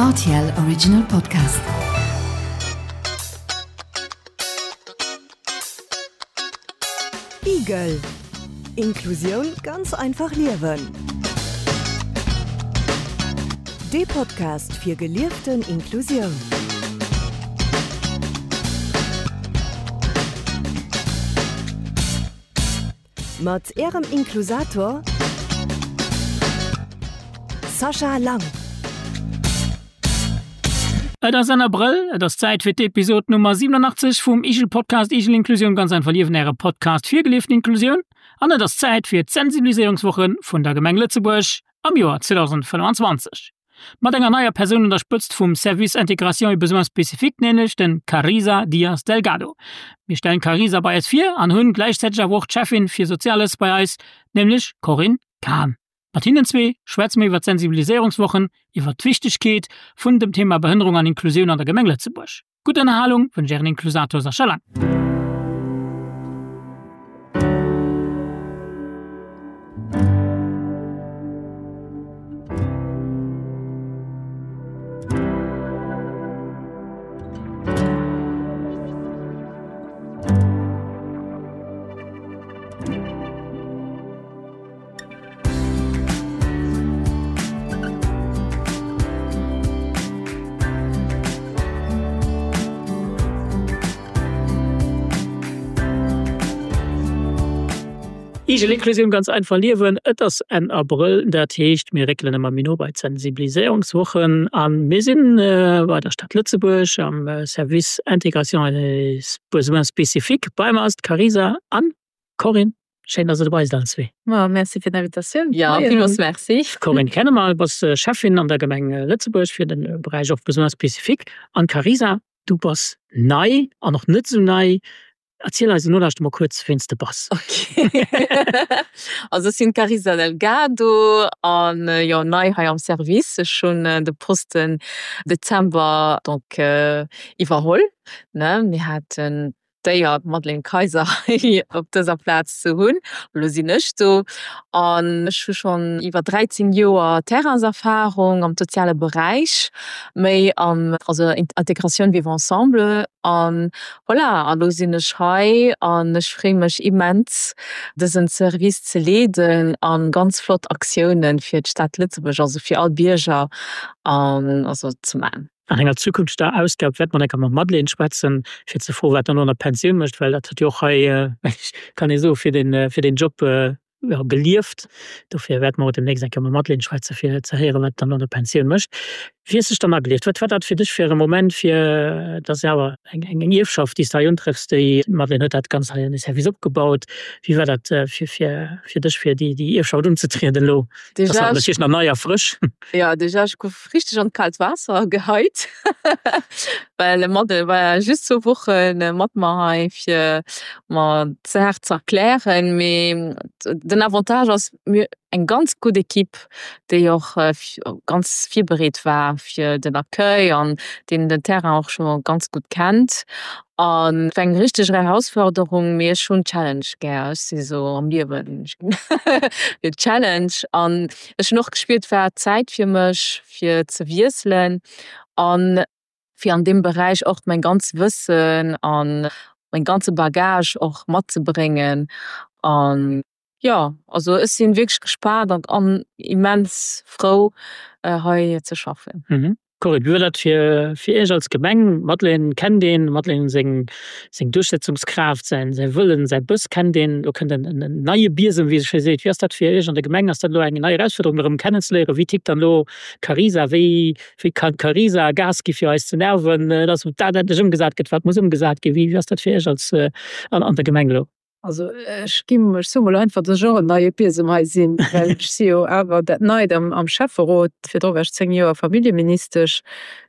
Rtl Original Podcast. Igel. Inklusioun ganz einfach liewen. Dee Podcast fir gelieften Inklusioun. Mat Ärem Inklusator Sascha Lang. Et ass Enn Abrëll, et ass Zäit fir d'Episod Nummer 87 vum Igel Podcast Igel Inklusioun, ganz einfach liewen, Äre Podcast fir gelieften Inklusioun. An et ass Zäit fir d'Sensibiliséierungswoche vun der Gemeng Lëtzebuerg am Joer 2025. Mat enger neier Persoun un der Spëtzt vum Service Intégration et Besoins Spécifiques, nämlech den Carisa Dias Delgado. Mir stellen d'Carisa bei eis vir an hunn gläichzäiteg awer och d'Cheffin fir Soziales bei eis, nämlech Corinne Cahen. Mat hinnen zwee schwätze mir iwwer d'Sensibiliséierungswochen, iwwer d'Wichtegkeet vun dem Thema Behënnerung an Inklusioun an der Gemeng Lëtzebuerg. Gutt Ënnerhalung wënscht Ären Inklusator Sascha Lang. Igel Inklusioun ganz einfach liewen. Et ass Enn Abrëll, dat heescht mir réckelen ëmmer méi no bei d'Sensibiliséierungswochen a mir sinn bei der Stad Lëtzebuerg am Service Intégration et Besoins spécifiques. Bei mer ass d'Carisa an Corinne. Schéin, dass der dobei sidd allen zwee. Ma merci fir d'Invitatioun. Ja, villmools merci. Corinne kenne mer, du bass Schäffin an der Gemeng Lëtzebuerg fir de Beräich och Besoins spécifiques. An Carisa, du bass nei an och net esou nei. Erziel eis Nolauschter mol kuerz, ween s de bass. Ok. Also ech sinn d'Carisa Delgado an jo nei hei am Service. Ech hunn de Posten Dezember donc iwwerholl, ne. Mir haten d'Éier, d'Madeleine Kayser hei op dëser Plaz ze hunn. Elo sinn ech do an ech hu schonn iwwer 13 Joer Terrainserfarung am soziale Beräich, méi am, also Intégratioun vivre ensemble an voilà, a lo sinn ech hei an ech freeë mech immens dësen Service ze leeden a ganz flott Aktiounen fir d'Stad Lëtzebuerg, also fir all Bierger an also ze man. An enger zukünfteger Ausgab wäerte mer enker mam Madeleine schwätzen, fir ze froen, wat dann elo an der Pensioun mécht, well dat huet jo och hei, kann ee soen, fir den, fir deen Job, jo, gelieft. Dofir wäerte mer och demnächst eng Kéier mam Madeleine schwätzen, fir ze héieren, wat dann elo an der Pensioun mécht. Wéi hues de dech dann agelieft? Wat war dat fir dech fir e Moment, fir, dat ass jo awer eng, eng Ierfschaft, déi s de hei untrëffs, déi d'Madeleine huet dat Ganzt hei an de Service opgebaut. Wéi war dat fir, fir, fir dech, fir déi, déi Ierfschaft unzetrieden elo? Dat ass natierlech nach nei a frësch. Jo, déjà, ech gouf richteg an d'kaalt Waasser geheit, well Madel war just zwou Woche mat mer hei fir mer d'Saach ze erklären. Mee den Avantage ass, mir eng ganz gutt Equipe, déi och ganz virbereet war fir den Accueil an deen den Terrain och scho ganz gutt kennt. An et war eng richteg Erausforderung, mee ech hunn Challenge gär. Ech si sou am Liewen fir Challenge an ech hunn och gespiert, et war Zäit fir mech fir ze wiesselen an fir an deem Beräich och mäin ganz Wëssen an mäin ganze Bagage och matzebréngen an jo, also ech sinn wierklech gespaant an an immens frou hei ze schaffen. Corinne, wéi war dat fir fir Iech als Gemeng? D'Madeleine kennt een, d'Madeleine seng seng Duerchsetzungskraaft, säin säi Wëllen, säi Bëss kennt een. Elo kënnt en en neie Biesem, wéi ee sou schéi seet. Wéi ass dat fir Iech an der Gemeng? Ass dat elo eng nei Erausfuerderung, erëm kennenzeléieren? Wéi tickt dann elo d'Carisa? Wéi wéi kann d'Carisa Gas gi fir eis ze nerven, dass dat endlech ëmgesat gëtt, wat muss ëmgesat ginn? Wéi wéi ass dat fir Iech als an an der Gemeng elo? Also ech ginn, ech soe mol einfach, dass ech och en neie Biesem hei sinn, well ech si jo awer dat Neit am am Schäfferot. Virdru war ech 10 Joer Familljeministesch,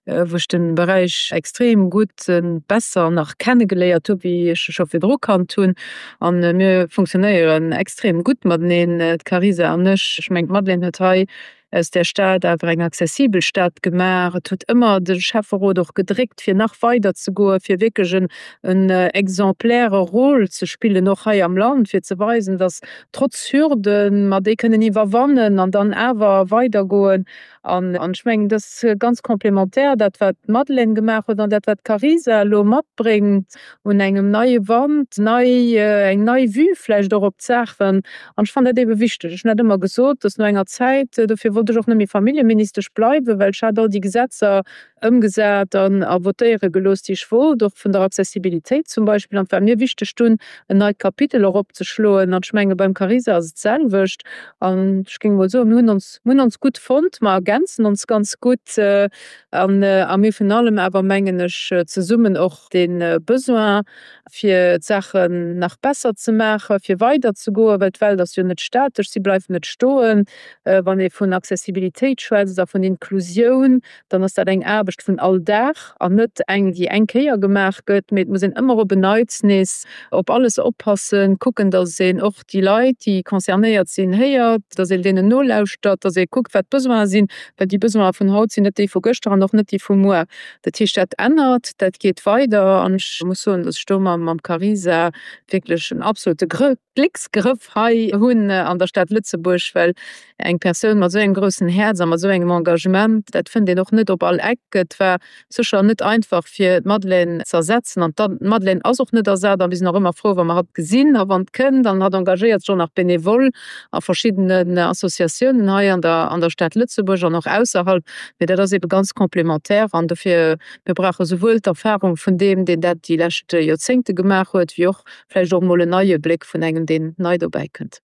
wou ech de Beräich extrem gutt, besser nach kennegeléiert hu wéi ech e scho virdru kannt hunn. A mir funktionéieren extrem gutt mateneen, d'Carisa an ech. Ech mengen, d'Madeleine huet hei. aus där Stad awer eng accessibel Stad gemaach. Et huet ëmmer de Schäfferot och gedréckt, fir nach weider ze goen, fir wierklech en en exemplaire Rôle ze spillen, och hei am Land, fir ze weisen, dass trotz Hürden mer déi kënnen iwwerwannen an dann awer weidergoen. An ech mengen, dat ass ganz complémentaire, dat wat d'Madeleine gemaach huet an dat wat d'Carisa elo matbréngt un engem neie Wand, nei, eng nei Vue vläicht och op d'Saachen. An ech fannen dat eebe wichteg. Ech hunn dat ëmmer gesot, dass no enger Zäit, dofir wollt ech och net méi Familljeministesch bleiwen, well ech hat all déi Gesetzer ëmgesat an a votéiere gelooss, déi ech wollt, och vun der Accessibilitéit zum Beispill. An et war mir wichteg dunn en neit Kapitel och opzeschloen. An ech menge beim Carisa ass et d'selwecht. An ech géing emol soen, mir hunn ons, mir hunn ons gutt fonnt, mer ergänzen ons ganz gutt an a mir virun allem awer, mengen ech, zesummen och dee Besoin, fir d'Saachen nach besser ze maachen, fir weiderzegoen, well d'Welt ass jo net statesch, si bleift net stoen. Wann ee vun Accessibilitéit schwätzt a vun Inklusioun, dann ass dat eng Aarbecht vun all Dag an net eng, déi eng Kéier gemaach gëtt, mee et muss een ëmmer op en Neits nees op alles oppassen, kucken, datt een och déi Leit, déi concernéiert sinn, héiert, datt een deenen nolauschtert, datt ee kuckt, wat d'Besoine sinn, well déi Besoine vun haut sinn net déi vu gëschter an och net déi vu muer. Dat heescht, dat ännert, dat geet weider an ech muss soen, datt ech do mam Carisa wierklech en absolute Glécksgrëff hei hunn an der Stad Lëtzebuerg, well eng Persoun mat esou engem groussen Häerz a mat esou engem Engagement, dat fënnt een och net op all Eck. Et war sécher net einfach fir d'Madeleine z'ersetzen an d'Madeleine ass och net ersat a mir sinn och ëmmer frou wa mer hatt gesinn a wann kënnt an hatt engagéiert sech och nach bénévole a verschiddenen Associatiounen hei an der an der Stad Lëtzebuerg an och ausserhalb. Mee dat ass ebe ganz complémentaire an dofir, mir brauche souwuel d'Erfahrung vun deem, deen dat déi lescht Joerzéngte gemaach huet, wéi och vläicht och emol en neie Bléck vun engem, deen nei dobäi kënnt.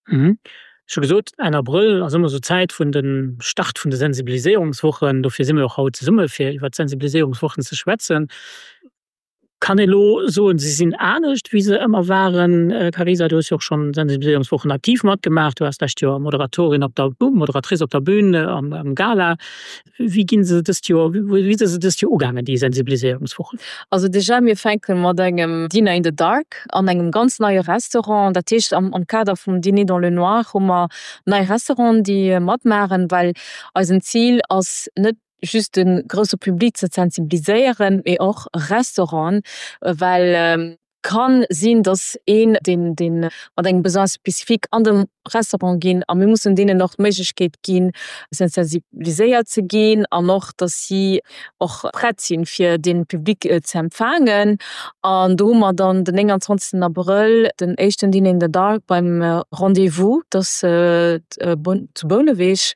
Ech hu gesot, Enn Abrëll ass ëmmer esou d'Zäit vun de Start vun de Sensibiliséierungswochen. Dofir si mir och haut zesumme fir iwwert d'Sensibiliséierungswochen ze schwätzen. Kann ee elo soen, se sinn anescht wéi se ëmmer waren? Carisa, du hues jo och schonn Sensibiliséierungswochen aktiv matgemaach. Du waars d'lescht Joer Moderatorin op der, Moderatrice op der Bün am Gala. Wéi ginn se dëst Joer, wéi si se dëst Joer ugaangen, déi Sensibiliséierungswochen? Also déjà, mir fänke mat engem Dinner in the Dark an engem ganz neie Restaurant. Dat heescht, am Kader vum Dîner dans le noir hu mer nei Restauranten, déi matmaachen, well eisen Zil ass net just de grousse Public ze sensibiliséieren, mee och Restauranten, well Kann sinn, dass een, deen, deen mat engem Besoin spécifique an de Restaurant ginn, a mir mussen deenen och d'Méiglechkeet ginn, sensibiliséiert ze ginn an och, dass si och prett sinn, fir dee Public ze empfaangen. An do hu mer dann den 29 Abrëll den éischten Dîner in the dark beim Rendez-vous, dass zu Bouneweg.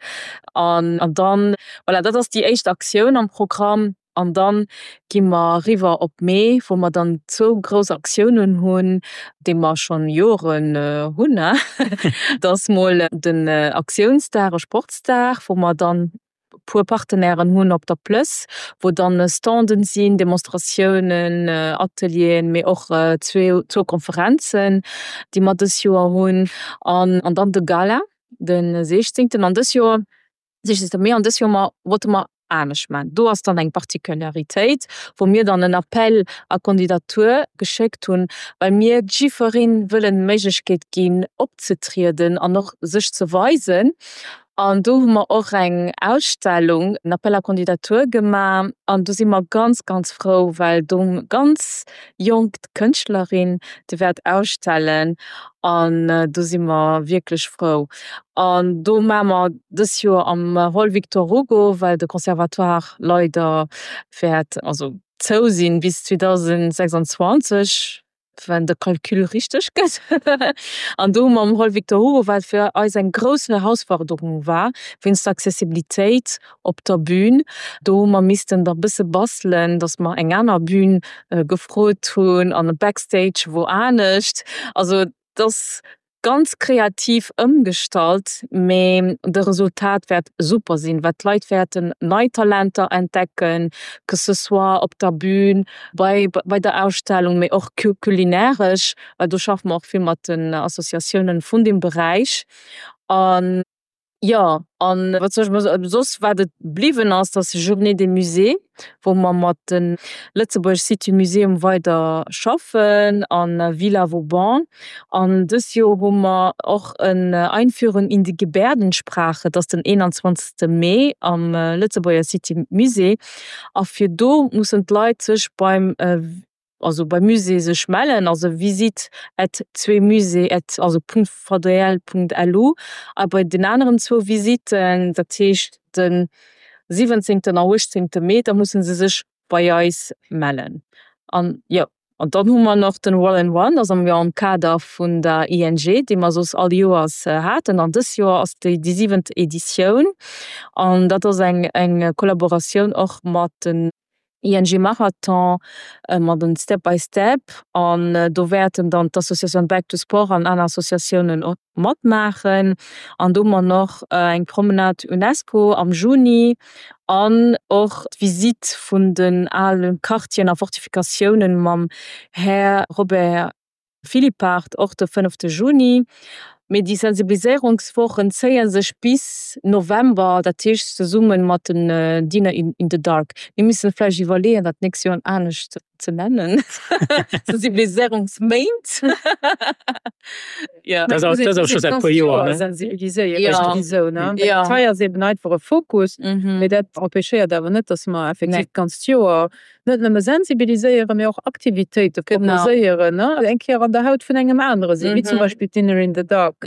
An dann, voilà, dat ass déi éischt Aktioun am Programm. An dann gi mer eriwwer op Mee, wou mer dann zwou grouss Aktiounen hunn, déi mer schonn Joren hunn. Dat ass mol den Aktiounsdag a Sportsdag, wou mer dann e puer Partenairen hunn op der Plëss, wou dann Standen sinn, Demonstratiounen, Atelieren, mee och zwou Konferenzen, déi mer dës Joer hunn. An dann de Gala de 16. An dës Joer 16. Mee an dës Joer mer wollte mer anescht maachen. Do ass dann eng Particularitéit, wou mir dann en Appel à candidature geschéckt hunn, well mir jiddweree wëllen d'Méiglechkeet ginn opzetrieden an och sech ze weisen. An do hu mer och eng Ausstellung, en Appel à candidature gemaach an do si mer ganz, ganz frou, well do ganz jonk Kënschtlerin, déi wäert ausstellen an do si mer wierklech frou. An do maache mer dës Joer am Hall Victor Hugo, well de Conservatoire leider wäert also zou sinn bis 2026, wann de Calcul richteg gëtt. An do hu mer am Hall Victor Hugo, wat fir eis eng grouss Herausforderung war, wéinst der Accessibilitéit op der Bühn. Do hu mer missten da bësse bastelen, dass mer eng aner Bühn gefrot hunn an e Backstage wou anescht. Also et ass ganz kreativ ëmgestallt, mee de Resultat wäert super sinn, well d'Leit wäerten nei Talenter entdecken, que ce soit op der Bühn, bei bei der Ausstellung, mee och kulinairesch, well do schaffe mer och vill mat den Associatiounen vun deem Beräich. An. Jo, an wat soll ech mol soen, soss wat et bliwwen ass, dat ass Journée des Musées, wou mer mat de Lëtzebuerg City Museum weider schaffen a Villa Vauban. An dës Joer hu mer och en Einführung in die Gebärdensprache, dat ass den 21. Mee am Lëtzebuerger City Musée. A fir do mussen d'Leit sech beim also beim Musée sech mellen, also visite at zweemusée at also Punkt vdl Punkt lu a bei den aneren zwou Visitten, dat heescht de 17. a 18. Mee, da musse se sech bei eis mellen. An jo, an dann hu mer nach den Roll and Run, dat ass am jo am Kader vun der ING, dee mer soss all Joers haten, an dës Joer ass déi déi siwent Editioun an dat ass eng eng Kollaboratioun och mat den ING Marathon mat en Step by Step an do wäerten dann d'Associatioun Back to Sport an aner Associatiounen och matmaachen. An do hu mer nach eng Promenade Unesco am Juni an och d'Visitt vun den ale Quartieren a Fortifikatiounen mam Här Robert Philippart, och de fënnefte Juni. Mee déi Sensibiliséierungswochen zéie sech bis November, dat heescht zesumme mat den Dinner in the Dark. Mir missen vläicht iwwerleeën, dat d'nächst Joer anescht ze nennen, Sensibiliséierungsméint. Dat ass awer scho säit e puer Joer, ne? Sensibiliséieren souwisou, ne? Hei ass eben einfach e Fokus, mee dat empêchéiert awer net, datt mer effektiv d'ganzt Joer Net nëmme sensibiliséieren, mee och Aktivitéite proposéieren, ne? Eng Kéier an der Haut vun engem anere sinn, wéi zum Beispill d'Dinner in the Dark.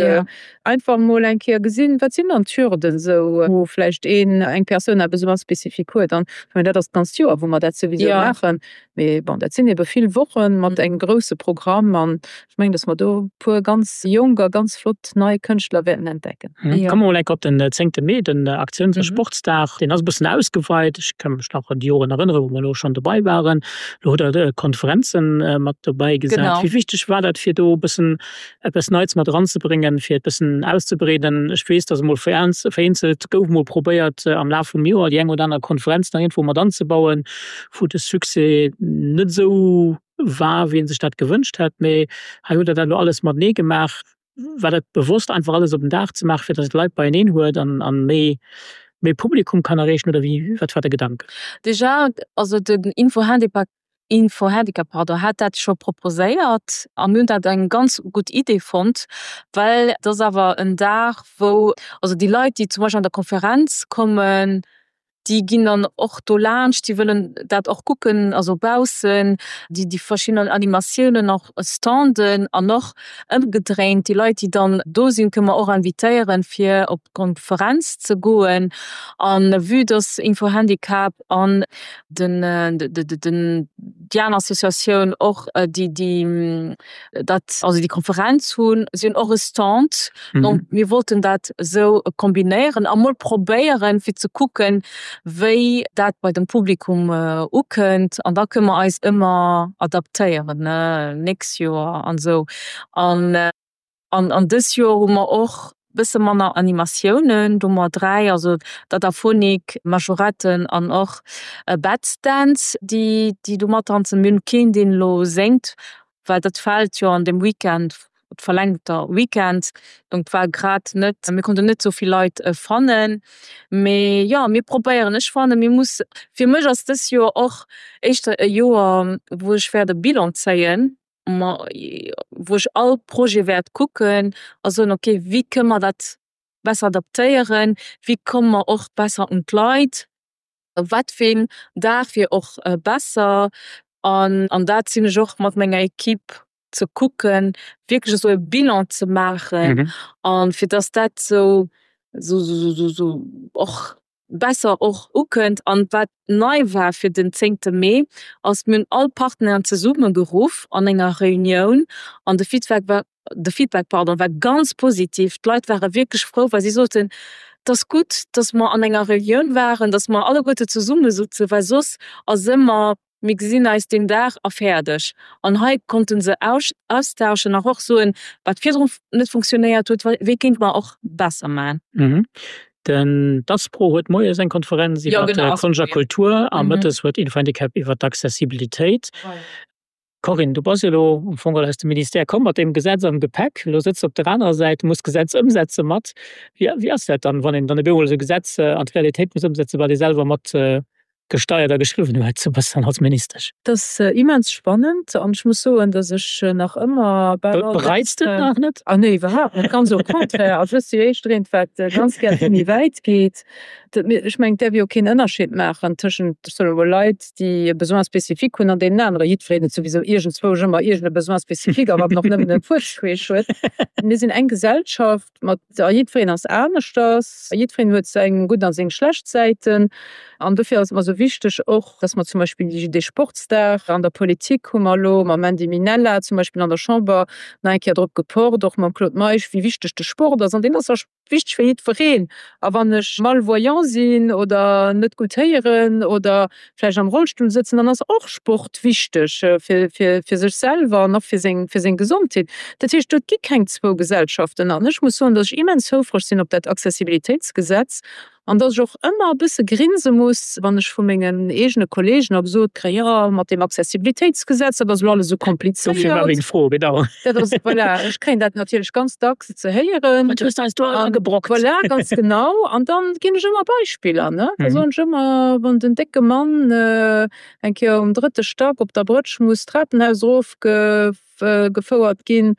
Einfach emol eng Kéier gesinn, wat sinn dann d'Hürden esou, wou vläicht een, eng Persoun eppes esou ganz spezifik huet. An ech mengen, dat ass d'ganzt Joer, wou mer dat souwisou maachen. Mee bon, dat sinn ebe vill Woche mat engem grousse Programm. An ech mengen, dass mer do e puer ganz jonk a ganz flott nei Kënschtler wäerten entdecken. Komme mer mol enk op den zéngte Mee, den Aktiouns a Sportsdag. Deen ass e bëssen ausgeweit. Ech ka mech nach un déi Joren erënneren, wou mer elo schonn dobei waren. Elo hutt Der Konferenze mat dobäi gesat. Wéi wichteg war dat, fir do e bëssen eppes Neits mat eranzebréngen, fir et bëssen auszebreeden? Ech weess, dass emol vereenzelt gouf emol probéiert, am Laf vum Joer déi eng oder aner Konferenz nach iergendwou mat anzebauen, wou de Succès net esou war, wéi ee sech dat gewënscht hätt. Mee hei hutt Der dat elo alles matenee gemaach. War dat bewosst, einfach alles op en Dag ze maachen, fir datt et Leit beieneen huet an an méi méi Publikum kann erreechen, oder wéi, wat war de Gedanken? Déjà, also den Info-Handicap, Info-Handicap, pardon, hat dat scho proposéiert a mir hunn dat eng ganz gutt Idee fonnt, well et ass awer en Dag, wou also déi Leit, déi zum Beispill an der Konferenz kommen, déi ginn dann och do laanscht, déi wëllen dat och kucken, also baussen, déi déi verschidden Animatiounen och Standen an och ëmgedréint, déi Leit, déi dann do sinn, kënne mer och invitéieren, fir op d'Konferenz ze goen. A vue dass Info-Handicap an den den déi aner Associatioun och déi déi dat also déi Konferenz hunn, si hunn och e Stand. Donc mir wollten dat esou kombinéieren a mol probéieren, fir ze kucken, wéi dat bei dem Publikum ukënnt. An da kënne mer eis ëmmer adaptéieren, ne, nächst Joer an esou. An an dës Joer hu mer och bësse manner Animatiounen, do hu mer 3, also d'Adaphonik, Majoretten an och Bats Dance, déi déi do matdanzen. Mir hunn keen, deen elo séngt, well dat fält jo an deem Weekend, verlängter Weekend, donc war grad net, mir konnten net sou vill Leit fannen. Mee jo, mir probéieren. Ech fannen, mir muss, fir mech ass dës Joer och éischter e Joer, wou ech wäert e Bilan zéien, ma wou ech all Projet wäert kucken a soen, okay, wéi kënne mer dat besser adaptéieren, wéi komme mer och besser un d'Leit, wat fir een Dag wier och besser. An an dat sinn ech och mat menger Equipe ze kucken, wierklech esou e Bilan ze maachen a fir dass dat esou esou och besser och ukënnt. An wat nei war fir den zéngte Mee, ass, mir hunn all Partenairen zesummegeruff an enger Reunioun an de Feedback war, de Feedback, pardon, war ganz positiv. D'Leit ware wierklech frou, well si soten, Et ass gutt, dass mer an enger Reunioun waren, dass mer alleguerte zesummesëtzen, well soss ass ëmmer Mir gesinn eis deen Dag a fäerdeg. An hei konnte se austauschen a och soen, wat virdrun net funktionéiert huet, wéi kéinte mer och besser maachen. Den d'Aspro huet moies eng Konferenz iwwer Konscht a Kultur a mëttes huet Info-Handicap iwwer d'Accessibilitéit. Corinne, du bass jo elo am Fong geholl aus dem Ministère komm mat deem Gesetz am Gepäck. Elo sëtz de op der anerer Säit, muss d'Gesetz ëmsetze mat. Wéi, wéi ass dat dann, wann een dann op eemol esou e Gesetz an d'Realitéit muss ëmsetzen, wat ee selwer mat gesteiert a geschriwwen huet, sou bëssen als Ministesch? Dat ass immens spannend an ech muss soen, datt ech nach ëmmer bal all Dag. Bereits de et nach net? Ah nee, iwwerhaapt net, ganz au contraire. Also ech si jo éischter eent, wat ganz gär méi wäit geet. Ech mengen, et däerf jo keen Ënnerscheed maachen tëschent, ech soen emol, Leit, déi e Besoin spécifique hunn an deenen aneren. Jiddwereen huet souwisou iergendzwousch ëmmer iergend e Besoin spécifique, a wann en och nëmmen e Fuerz queesch huet. Mir sinn eng Gesellschaft mat, a jiddwereen ass aneschters, jiddwereen huet seng gutt a seng schlecht Säiten. An dofir ass et mer esou wichteg och, dass mer zum Beispill dee Sportsdag an der Politik hu mer elo mam Mandy Minella zum Beispill an der Chamber nach eng Kéier drop gepocht, och mam Claude Meisch, wéi wichteg de Sport ass. An deen ass wichteg fir jiddwereen. A wann ech malvoyant sinn oder net gutt héieren oder vläicht am Rollstull sëtzen, dann ass och Sport wichteg fir, fir, fir sech selwer an och fir seng, fir seng Gesondheet. Dat heescht, do et gi keng zwou Gesellschaften. An ech muss soen, datt ech immens houfreg sinn op dat Accessibilitéitsgesetz an datt ech och ëmmer e bësse grinse muss, wann ech vu mengen eegene Kollegen och gesot kréien, jo, mat deem Accessibilitéitsgesetz, dat ass elo alles esou komplizéiert. Dofir war meng Fro, genau. Dat ass, voilà, ech kréien dat natierlech ganz dacks ze héieren. Wat hues de eis do agebrockt? Voilà, ganz genau. An dann ginn ech ëmmer Beispiller, ne. Da soen ech ëmmer, wann den décke Mann eng Kéier um drëtte Stack op der Brëtsch muss d'Trapenhaus erofgefouert ginn,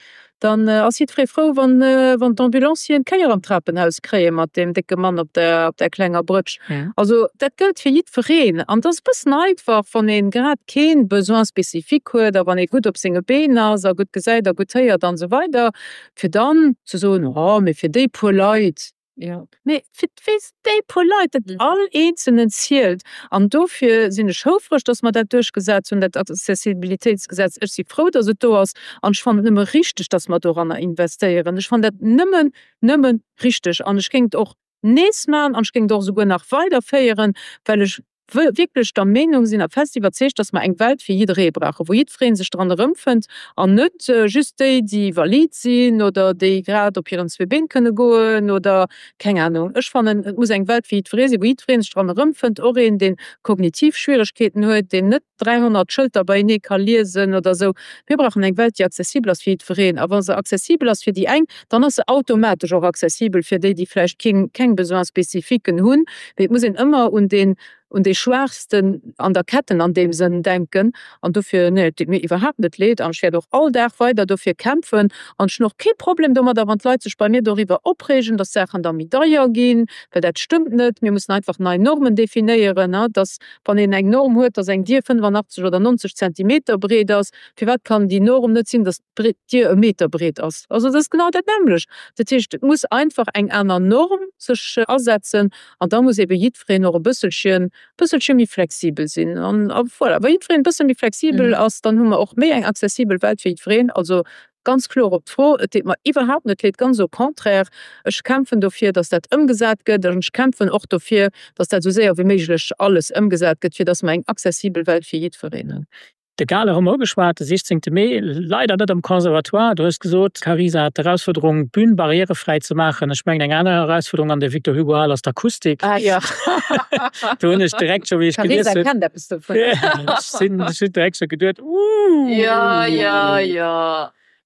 dann ass jiddweree frou, wann d'Ambulancieren d'Kéier am Trapenhaus kréie mat deem décke Mann op der klenger Brëtsch. Also dat gëllt fir jiddwereen. An et ass e bëssen einfach, wann ee grad kee Besoin spécifique huet a wann ee gutt op senge Been ass a gutt gesäit a gutt héiert an esou weider, fir dann ze soen, oh mee fir déi puer Leit. Mee fir déi puer Leit, dat all Eenzelnen zielt. An dofir sinn ech houfreg, dass mer dat duerchgesat hunn, dat Accessibilitéitsgesetz. Ech si frou, dass et do ass. An ech fannen et nëmme richteg, dass mer doranner investéieren. Ech fannen dat nëmmen, nëmme richteg. An ech géing et och nees maachen an ech géing et och esouguer nach weiderféieren, well ech wierklech der Meenung sinn a fest iwwerzeegt, dass mer eng Welt fir jidderee brauchen, wou jiddweree sech dran erëmfënnt an net just déi, déi valid sinn oder déi grad op hiren zwee Been kënne goen oder keng Anung. Ech fannen, et muss eng Welt fir jiddweree sinn, wou jiddweree sech dran erëmfënnt, och een, dee kognitiv Schwieregkeeten huet, deen net 300 Schëlter beienee ka liesen oder esou. Mir brauchen eng Welt, déi accessibel ass fir jiddwereen. A wa se accessibel ass fir déi eng, dann ass se automatesch och accessibel fir déi, déi vläicht keng, keng Besoins spécifiquen hunn. Mee et muss een ëmmer un deen, un dee Schwaachsten an der Ketten an deem Sënn denken. An dofir, nee, et deet mir iwwerhaapt net leed an ech wäert och all Dag weider dofir kämpfen. An ech hunn och kee Problem domadder, wann d'Leit sech bei mir doriwwer opreegen, dass d'Saachen da méi deier ginn, well dat stëmmt net. Mir mussen einfach nei Normen definéieren, dass, wann een eng Norm huet, dass eng Dier 85 oder 90 Zentimeter breet ass, firwat kann déi Norm net sinn, dass d'Dier e Meter breet ass. Also dat ass genau dat nämmlecht. Dat heescht, et muss einfach eng aner Norm sech asetzen an da muss ebe jiddwereen och e bësselchen, bësselche méi flexibel sinn. An voilà, wa jiddwereen e bësse méi flexibel ass, dann hu mer och méi eng accessibel Welt fir jiddwereen. Also ganz kloer op d'Fro, et deet mer iwwerhaapt net leed, ganz au contraire, ech kämpfen dofir, datt dat ëmgesat gëtt an ech kämpfen och dofir, datt dat esou séier wéi méiglech alles ëmgesat gëtt, fir datt mer eng accessibel Welt fir jiddwereen hunn. De Gala hu mer ugeschwat, de 16 Mee, leider net am Conservatoire. Du hues gesot, Carisa, d'Erausfuerderung, d'Bün barrièrefräi ze maachen. Ech mengen, eng aner Erausfuerderung an der Victor Hugo Hal ass d'Akustik. Ah jo. Do hunn ech direkt scho, wéi ech gelies hunn. D'Carisa kennt eppes dovun. Ech sinn, ech hunn direkt scho geduet, Ooh. Jo, jo, jo.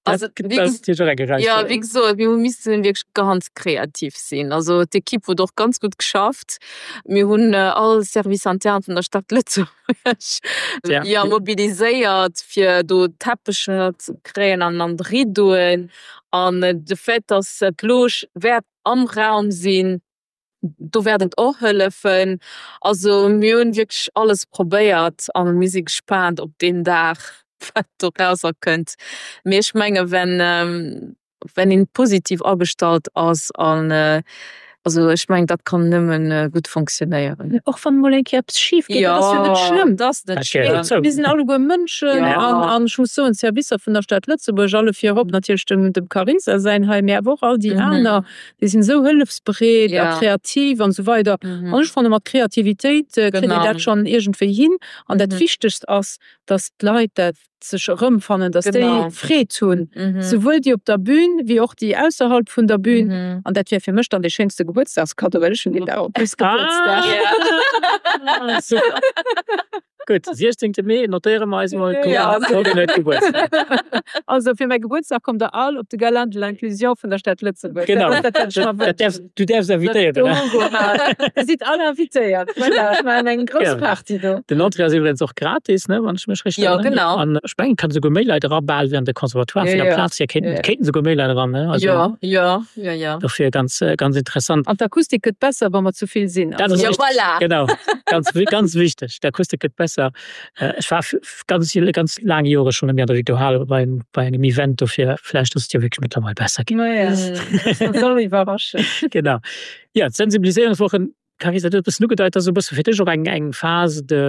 Also, wéi ges ja, wéi gesot, mir hu missen wierklech ganz kreativ sinn. Also d'Ekipp huet och ganz gutt geschafft. Mir hunn all Service interne vun der Stad Lëtzebuerg ja mobiliséiert, fir do Teppecher ze kréien an an d'Rideauen. An de Fait, dass d'Loge wäert am Raum sinn, Do wäert et och hëllefen. Also mir hunn wierklech alles probéiert a mir si gespaant op deen Dag, wat dorauser kënnt. Mee ech menge wenn wenn een positiv agestallt ass an also ech mengen dat kann nëmmen gutt fonctionnéieren. Och wann emol eng Kéier eppes schif geet, dat ass jo net schlëmm. Dat ass net schlëmm. Mir sinn alleguer Mënschen an ech muss soen, d'Servicer vun der Stad Lëtzebuerg, alle virop natierlech dem Carisa säin hei, mee awer och all déi aner, Déi sinn esou hëllefsbereet a kreativ an esou weider. An ech fanne mat Kreativitéit kritt een dat schonn iergendwéi hin. An dat Wichtegst ass, datt d'Leit dat sech erëmfannen, datt déi Freed hunn, souwuel déi op der Bün wéi och déi ausserhalb vun der Bün. An dat wier fir mech dann dee schéinste Gebuertsdagskaddo, well ech hunn deen Dag och bis Gebuertsdag. Super. Gutt, 16 Mee, notéiere mer eis mol, d'Corinne huet Gebuertsdag. Also fir mäi Gebuertsdag kommt der all op de Gala de l'inclusion vun der Stad Lëtzebuerg. Genau, dat hätt ech mer wënschen. Du däerfs invitéieren. Dir sidd all invitéiert. Voilà, ech maachen eng grouss Party do. Den Entrée ass iwwregens och gratis, ne, wann ech mech richteg erënneren. Jo, genau. An ech mengen, et kënnen esouguer méi Leit era bal wéi an de Conservatoire. Vun der Plaz hier kéinten, kéinten esouguer méi Leit eran, ne? Also. Jo, jo, jo, jo. Dofir ganz, ganz interessant. An d'Akustik gëtt besser, wa mer zu vill sinn. Dat ass richtig. Voilà. Genau. Ganz, ganz wichteg. D'Akustik gëtt besser. Ech war ganz, ganz laang Jore schonn net méi an der Victor Hall bei, bei engem Event, dofir vläicht ass et jo wierklech mëttlerweil besser ginn. Maja, dat soll iwwerraschen. Genau. Jo, d'Sensibiliséierungswochen, Carissa, du hues e bëssen ugedeit, dat ass e bësse fir dech och eng, eng Phase de,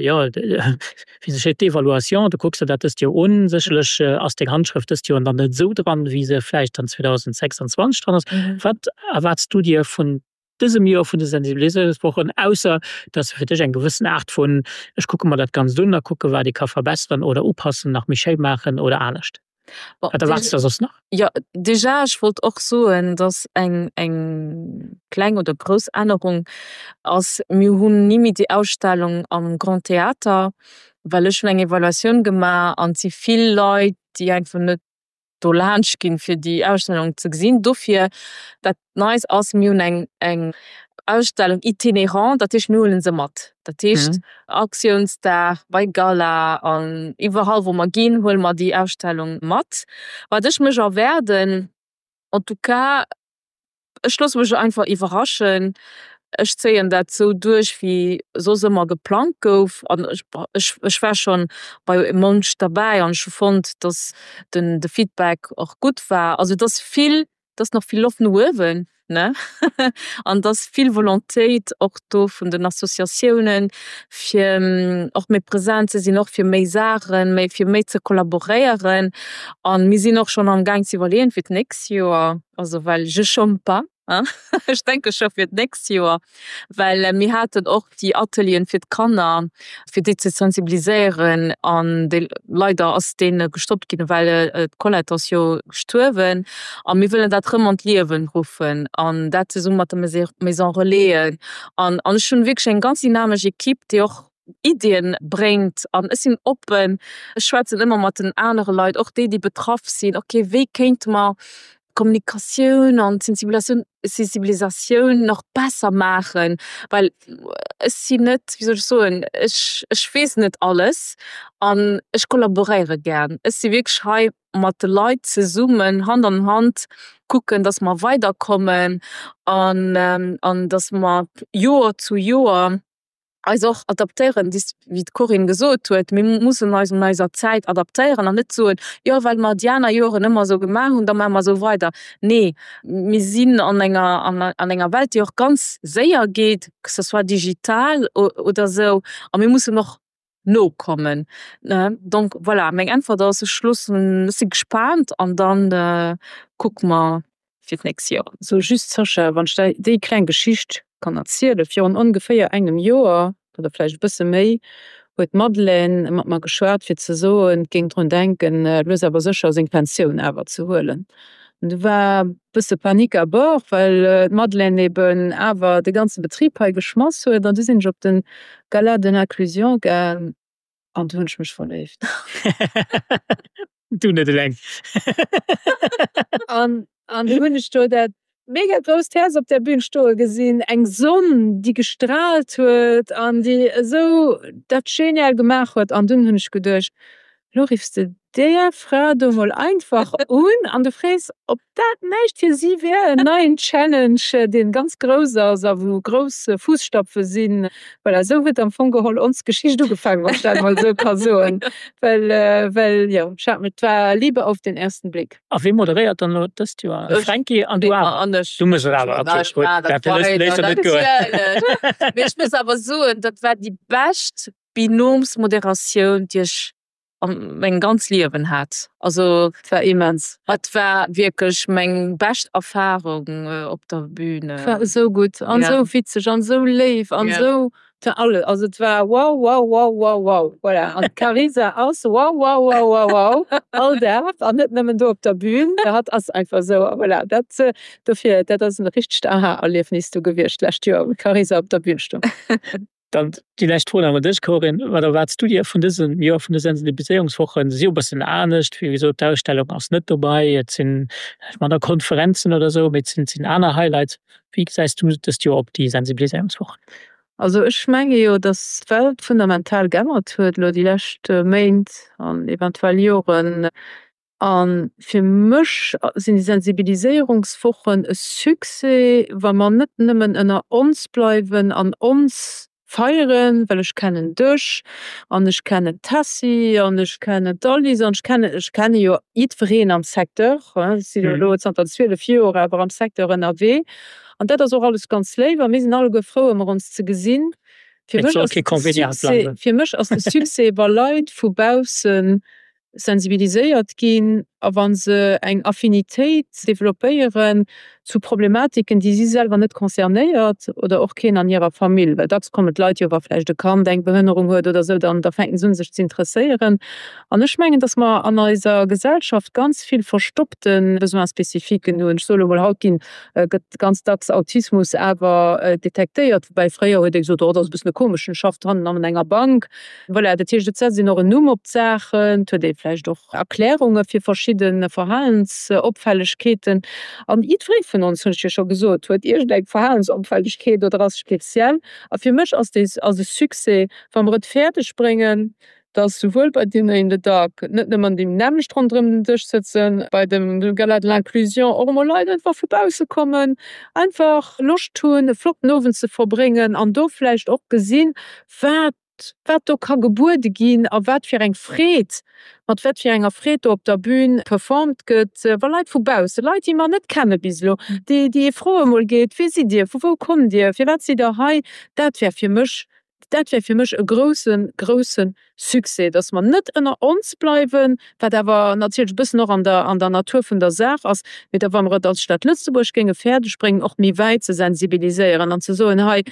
jo, wéi se schéit, d'évaluation. Du kucks der dat dëst Joer un. Sécherlech ass deng Handschrëft dëst Joer dann net esou dran, wéi se vläicht dann 2026 dran ass. Wat erwaarts du dir vun dësem Joer vun de Sensibiliséierungswochen, ausser dass se fir dech eng gewëssen Aart vun ech kucke mer dat Ganzt un a kucke wat ee ka verbesseren oder upassen, nach méi schéi maachen oder anescht? Wat erwaarts du da soss nach? Jo, déjà, ech wollt och soen, dass eng eng kleng oder grouss Ännerung ass, mir hunn ni méi déi Ausstellung am Grand Theater, well ech hunn eng Evaluatioun gemaach an et si vill Leit, déi einfach net do laanscht ginn, fir déi Ausstellung ze gesinn. Dofir, dat Neist ass, mir hunn eng eng Ausstellung itinerant, dat heescht, mir huele se mat. Dat heescht, Aktiounsdag, bei Gala an iwwerall, wou mer ginn, huele mer déi Ausstellung mat. Wat ech mech erwaarden, en tout cas, Ech loosse mech einfach iwwerraschen. Ech zéien dat sou duerch, wéi soss ëmmer geplangt gouf. An ech, ech war schonn bei munch derbäi an ech hu fonnt, datt den, de Feedback och gutt war. Also et ass vill, et ass nach vill Loft no uewen, ne? An et ass vill Volontéit och do vun den Associatiounen, fir och méi present ze sinn, och fir méi Saachen, méi, fir méi ze kollaboréieren. A mir sinn och schonn amgaang ze iwwerleeën fir d'nächst Joer. Also well je chôme pas, hein, ech denke scho fir d'nächst Joer, well mir haten och déi Atelieren fir d'Kanner, fir déi ze sensibiliséieren an déi, leider ass dee gestoppt ginn, well d'Colette ass jo gestuerwen a mir wëllen dat rëm an d'Liewen ruffen an dat zesumme mat de Maison Relaisen an an ech hunn wierklech eng ganz dynamesch Equipe, déi och Iddien bréngt an ech sinn oppen, ech schwätzen ëmmer mat den anere Leit, och déi déi betraff sinn, ok wéi kéinte mer d'Kommunikatioun an d'Sensibilisatioun Sensibilisatioun nach besser maachen, well ech sinn net, wéi soll ech soen, ech ech weess net alles an ech kollaboréiere gär. Ech si wierklech hei mat de Leit zesummen Hand an Hand kucken, datt mer weiderkommen an an datt mer Joer zu Joer eis och adaptéieren, wéi d'Corinne gesot huet, mir mussen eis un eiser Zäit adaptéieren an net soen, jo well mer déi aner Joren ëmmer esou gemaach hunn, da maache mer esou weider. Nee, mir sinn an enger an enger Welt, déi och ganz séier geet, que ce soit digital oder esou, a mir mussen och nokommen. Donc voilà, meng Äntwert ass, ech loossen, ech si gespaant an da kucke mer fir d'nächst Joer. So just, Sascha, wann ech der déi kleng Geschicht kann erzielen, Virun ongeféier engem Joer, oder vläicht e bësse méi, huet d'Madeleine mat mer geschwat, fir ze soen, et géing drun denken, lues awer sécher seng Pensioun awer ze huelen. An du war e bësse Panique à bord, well d'Madeleine eben awer de ganze Betrib hei geschmass huet. An du sinn ech op de Gala de l'inclusion gaang an du hunn ech mech verléift. Du net eleng. An an du hunn ech do dat mega grousst Häerz op der Bühn stoe gesinn, eng Sonn, déi gestraalt huet an déi esou dat genial gemaach huet. An dunn hunn ech geduecht, Lo riffs de där Fra do mol einfach un an du frees, ob dat näischt fir si wär, en neien Challenge, dee ganz grouss ass a wou grouss Fusstapfe sinn. Voilà, esou huet am Fong geholl ons Geschicht ugefaangen, wann ech dat emol esou ka soen. Well, well jo, ech hat, et war Liebe auf den ersten Blick. A wee moderéiert dann elo dëst Joer? De Fränki an du awer? An ech. Du méchs et awer, okay, gutt. Dat léisst der net goen. Mee ech muss awer soen, dat war déi bescht Binomsmoderatioun, déi ech an mengem ganz Liewen hat. Also Et war immens. Et war wierklech meng bescht Erfahrung op der Bühn. Et war esou gutt an esou witzeg an esou léif an esou, et war alles, also et war wow wow wow wow wow, voilà. An d'Carisa ass wow wow wow wow wow all Dag an net nëmmen do op der Bühn, hatt ass einfach esou a voilà, dat dofir, dat ass en richtegt Aha-Erliefnis do gewiescht d'lescht Joer, wou d'Carisa op der Bühn stoung. Dann déi lescht Fro nach un dech, Corinne, Wat erwaarts du dir vun dësem Joer vun de Sensibiliséierungswochen? Se si jo e bëssen anescht, wéi gesot, d'Ausstellung ass net dobäi, et sinn manner Konferenzen oder esou, mee et sinn, et sinn aner Highlights. Wéi gesäis du dëst Joer op déi Sensibiliséierungswochen? Also ech menge jo, datt d'Welt fundamental geännert huet elo déi lescht Méint an eventuell Joren. A fir mech sinn déi Sensibiliséierungswochen e Succès, wa mer net nëmmen ënner ons bleiwen an ons feieren, well ech kennen dech an ech kennen d'Tessy an ech kennen d'Alice an ech kennen, ech kenne jo jiddwereen am Secteur, ech sinn jo elo zanter 12 Joer awer am Secteur ënnerwee an dat ass och alles ganz léif a mir sinn alleguer frou ëmmer ons ze gesinn. Fir mech ass de Succès, fir mech ass de Succès, wa Leit vu baussen sensibiliséiert ginn a wa se eng Affinitéit developpéieren zu Problematiken, déi si selwer net concernéiert oder och keen an hirer Famill. Well dacks kommen d'Leit jo, wa vläicht e Kand eng Behënnerung huet oder esou, dann da fänken se un sech ze interesséieren. An ech mengen, datt mer an eiser Gesellschaft ganz vill verstoppte Besoin-spécifiquen hunn. Ech soe lo mol, haut ginn, gëtt ganz dacks Autismus awer detektéiert, woubäi fréier huet ee gesot, oh dat ass e bëssen e komeschen, schafft hannen an enger Bank. Voilà, dat heescht, et setzt een och en Numm op d'Saachen, et huet ee vläicht och Erklärunge fir verschidde Verhalensopfällegkeeten. An jiddweree vun ons, hunn ech jo scho gesot, huet iergendeng Verhalensopfällegkeet oder ass speziell. A fir mech ass dee ass e Succès, wa mer et fäerdeg bréngen, datt souwuel bei Dinner in the Dark net nëmmen déi nämmlecht ronderëm den Dësch sëtzen, bei dem Gala de l'inclusion och emol Leit einfach vu bausse kommen, einfach Loscht hunn, e flotten Owend ze verbréngen an do vläicht och gesinn, wat wat do ka gebuede ginn a wat fir eng Freed, mat wat fir enger Freed do op der Bühn performt gëtt, wa Leit vu bausse, Leit, déi mer net kenne bis elo, déi déi ee froe mol geet, Wie sidd Dir, vu wou kommt Dir, firwat sidd Der hei? Dat wär fir mech, dat wär fir mech e grousse, grousse Succès, dass mer net ënner ons bleiwen, wat awer natierlech e bëssen och an der, an der Natur vun der Saach ass, mee da wa mer et als Stad Lëtzebuerg géinge fäerdeg bréngen, och méi wäit ze sensibiliséieren an ze soen, hei,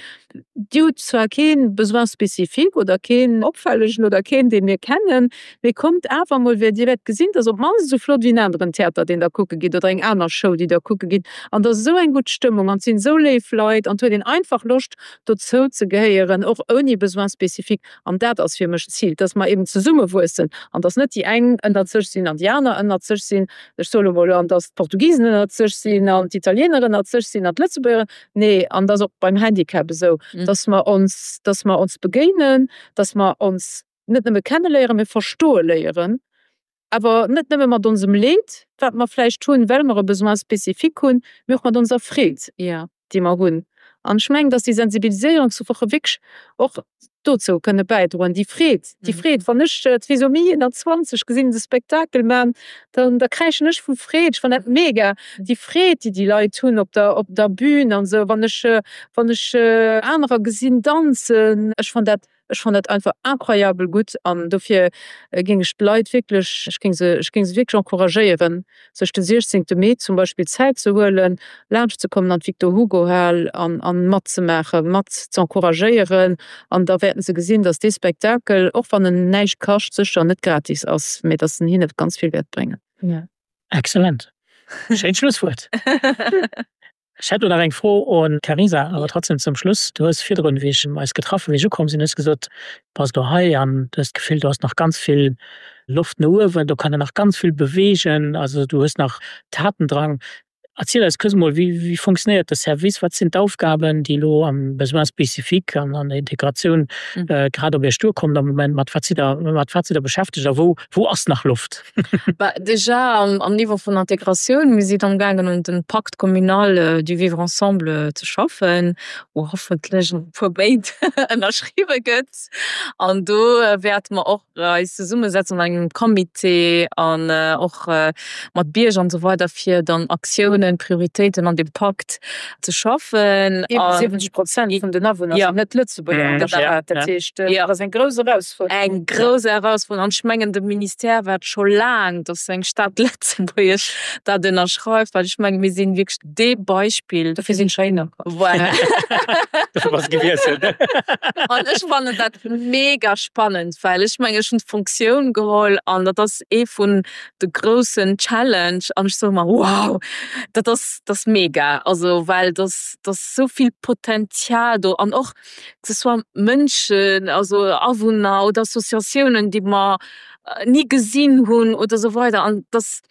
Dir hutt zwar kee Besoin spécifique oder keen opfällegen oder keen, dee mir kennen, mee kommt awer emol, well Dir wäert gesinn, et ass op d'mannst esou flott wéi en aneren Theater, deen Der kucke gitt oder eng aner Show, déi Der kucke gitt. An et ass esou eng gutt Stëmmung an et sinn esou léif Leit an et huet een einfach Loscht, dozou ze gehéieren, och ouni Besoin spécifique. An dat ass fir mech d'Zil, dass mer eben zesummewuessen an dass net déi eng ënnert sech sinn an déi aner ënnert sech sinn, ech soe lo mol, an dass d'Portugisen ënnert sech sinn an d'Italiener ënnert sech sinn an d'Lëtzebuerger. Nee, an dat ass och beim Handicap esou, dass mer ons, dass mer ons begéinen, dass mer ons net nëmme kenneléieren, mee verstoe léieren. Awer net nëmme mat onsem Leed, wat mer vläicht hunn, well mer e Besoin spécifique hunn, mee och mat onser Freed, déi mer hunn. An ech mengen, dass déi Sensibiliséierungswoche wierklech och dozou kënne bäidroen, déi Freed, déi Freed. Wann ech Trisomie 21 gesinn, de Spektakel man, dann da kräischen ech vu Freed. Ech fannen dat mega, déi Freed, déi déi Leit hunn op der, op der Bühn an esou. Wann ech, wann ech anerer gesinn danzen, ech fannen dat Ech fannen dat einfach incroyabel gutt an dofir géing ech d'Leit wierklech, ech géing se, ech géing se wierklech encouragéieren, sech de 16 Mee zum Beispill Zäit ze huelen, laanscht ze kommen an d'Victor Hugo Hal an an matzemaachen, mat z'encouragéieren an da wäerten se gesinn, dass dee Spektakel, och wann en näischt kascht, sécher net gratis ass, mee dass en hinne ganz vill wäert bréngen. Excellent. Schéint Schlusswuert. Ech hätt lo nach eng Fro un d'Carisa, awer trotzdem zum Schluss. Du hues virdrun, wéi ech eis getraff hunn, wéi ech ukomm sinn, hues gesot, du bass elo hei an du hues d'Gefill, do ass nach ganz vill Loft no uewen, do kann een nach ganz vill beweegen, also du hues nach Tatendrang. Erziel eis kuerz emol, wéi wéi funktionéiert de Service, wat sinn d'Aufgaben, déi elo am Besoin spécifique an an der Integratioun grad op Iech duerkommen am Moment, mat wat sidd Der mat wat sidd Der beschäftegt a wou wou ass nach Loft? Bah, déjà am Niveau vun Integratioun, mir sinn amgaangen un dem Pacte communal du vivre ensemble ze schaffen, wou hoffentlech an e puer Méint ënnerschriwwe gëtt. An do wäerte mer och eis zesummesetzen an engem Comité an och mat Bierger an esou weider, fir dann Aktiounen, Prioritéiten an deem Pakt ze schaffen. Iwwer 70 Prozent vun den Awunner sinn net Lëtzebuerger an der Stad. Dat heescht, dat ass eng grouss Erausfuerderung. Eng grouss Erausfuerderung. An ech mengen, de Ministère waart scho laang, datt eng Stad Lëtzebuerg dat ënnerschreift, well ech mengen, mir sinn wierklech dee Beispill. Dofir sinn ech heihinner komm. Voilà. Dofir bass de gewiesselt. An ech fannen dat mega spannend, well ech mengen, ech hunn d'Fonctioun geholl an dat ass ee vun de groussen Challenge an ech soe mer, wow! Dat ass, dat ass mega, also well dat ass, dat ass esou vill Potenzial do an och que ce soit Mënschen, also Awunner oder Associatiounen, déi mer ni gesinn hunn oder esou weider an dat ass,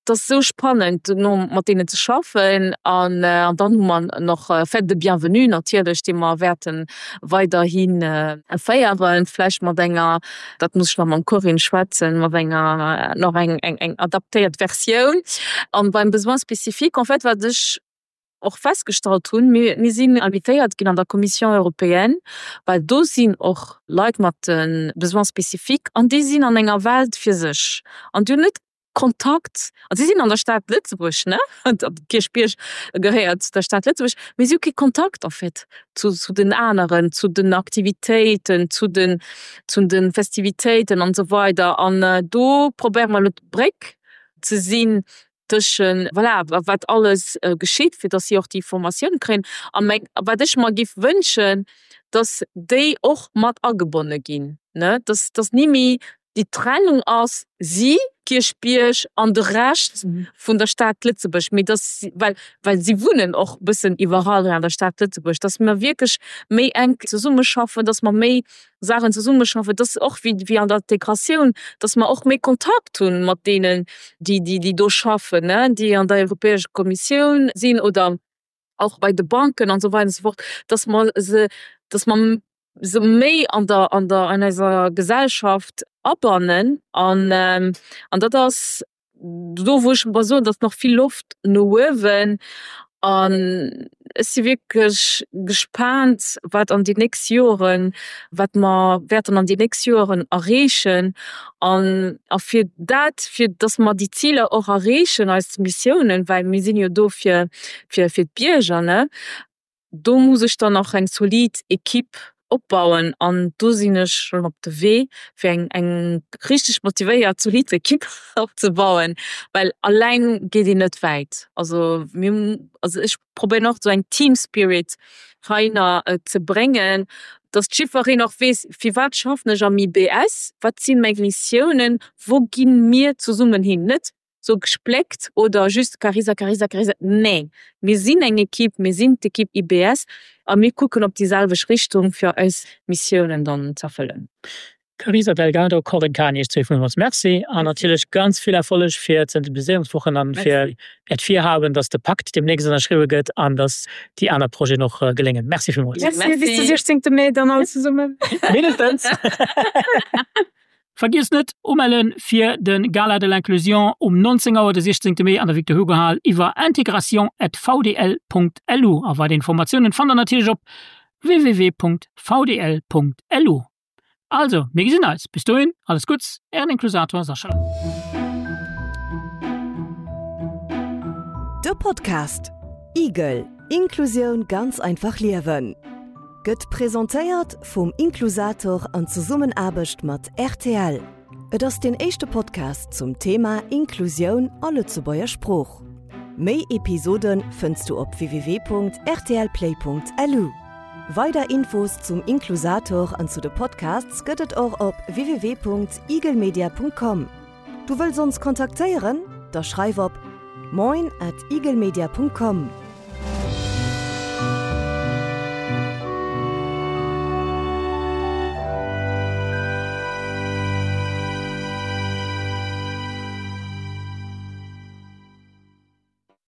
Et ass esou spannend dono mat deenen ze schaffen an dann hu mer nach Fête de bienvenue natierlech, déi mer wäerte weiderhi féieren, vläicht mat enger, dat muss ech nach mam Corinne schwätzen, mat enger nach eng eng adaptéiert Versioun. An beim Besoin spécifique, en fait wat ech och festgestallt hunn, mir mir sinn invitéiert ginn an der Commission européenne, well do sinn och Leit mat de Besoins spécifiques an déi sinn an enger Welt fir sech an déi hunn net Kontakt, also si sinn an der Stad Lëtzebuerg, ne, Kierchbierg gehéiert zu der Stad Lëtzebuerg, mee si hu kee Kontakt en fait zu zu den aneren, zu den Aktivitéiten, zu den zu de Festivitéiten an esou weider. An do probéiere mer elo d'Bréck ze sinn tëschen, voilà, wat alles geschitt, fir datt si och déi Formatioun kréien. A meng, wat ech mer géif wënschen, datt déi och mat agebonne ginn, ne, datt datt ni méi Déi Trennung ass si, Kierchbierg an de Rescht vun der Stad Lëtzebuerg, mee dass, well, well si wunnen och e bëssen iwwerall hei an der Stad Lëtzebuerg, dass mer wierklech méi enk zesummeschaffen, dass mer méi Saachen zesummeschaffen, dass och wéi, wéi an der Integratioun, dass mer och méi Kontakt hu mat deenen, déi, déi, déi do schaffen, ne, déi an der Europäescher Kommissioun sinn oder och bei de Banken an esou weider an esou fort, dass mer se, dass mer se méi an der, an der, an eiser Gesellschaft abannen an, an dat ass do wou ech mer soen, datt nach vill Loft no uewen an ech si wierklech gespaant wat an déi nächst Joren, wat mer wäerten an déi nächst Joren erreechen an a fir dat, fir datt mer déi Ziler och erreechen, eis Missiounen, well mir sinn jo do fir fir fir d'Bierger, ne, do muss ech dann och eng zolid Equipe opbauen an do sinn ech schonn op de Wee fir eng eng richteg motivéiert zolid Equipe opzebauen, well alleng geet een net wäit. Also mir, also ech probéieren och esou eng Team Spirit heihinner ze bréngen, dass jiddwereen och weess, firwat schaffen ech am IBS, wat si meng Missiounen, wou gi mir zesummen hin, net sou gespléckt oder just Carisa, Carisa, Carisa, nee, mir sinn eng Equipe, mir sinn d'Equipe IBS a mir kucken op déi selwecht Richtung fir eis Missiounen dann z'erfëllen. Carisa Delgado, Corinne Cahen, Iech zwee villmools Merci an natierlech ganz vill Erfolleg fir d'Sensibiliséierungswochen an fir Äert Virhaben, dass de Pakt deemnächst ënnerschriwwe gëtt an dass déi aner Projeten och geléngen. Merci villmools. Merci, bis de 16 Mee dann all zesummen. Mindestens. Vergiesst net, umellen fir de Gala de l'inclusion um 19 Auer de 16 Mee an der Victor Hugo Hal iwwer integration@vdl.lu a weider Informatiounen fannt der natierlech op www.vdl.lu. Also, mir gesinn eis! Bis dohin, alles Gutts, Ären Inklusator Sascha. De Podcast Igel, Inklusioun ganz einfach liewen gëtt presentéiert vum Inklusator an Zesummenaarbecht mat rtl. Et ass deen éischte Podcast zum Thema Inklusioun a Lëtzebuerger Sprooch. Méi Episode fënns du op www.rtlplay.lu. Weider Infos zum Inklusator an zu de Podcasts gëtt et och op www.igelmedia.com. Du wëlls ons kontaktéieren? Da schreif op moin at igelmedia.com.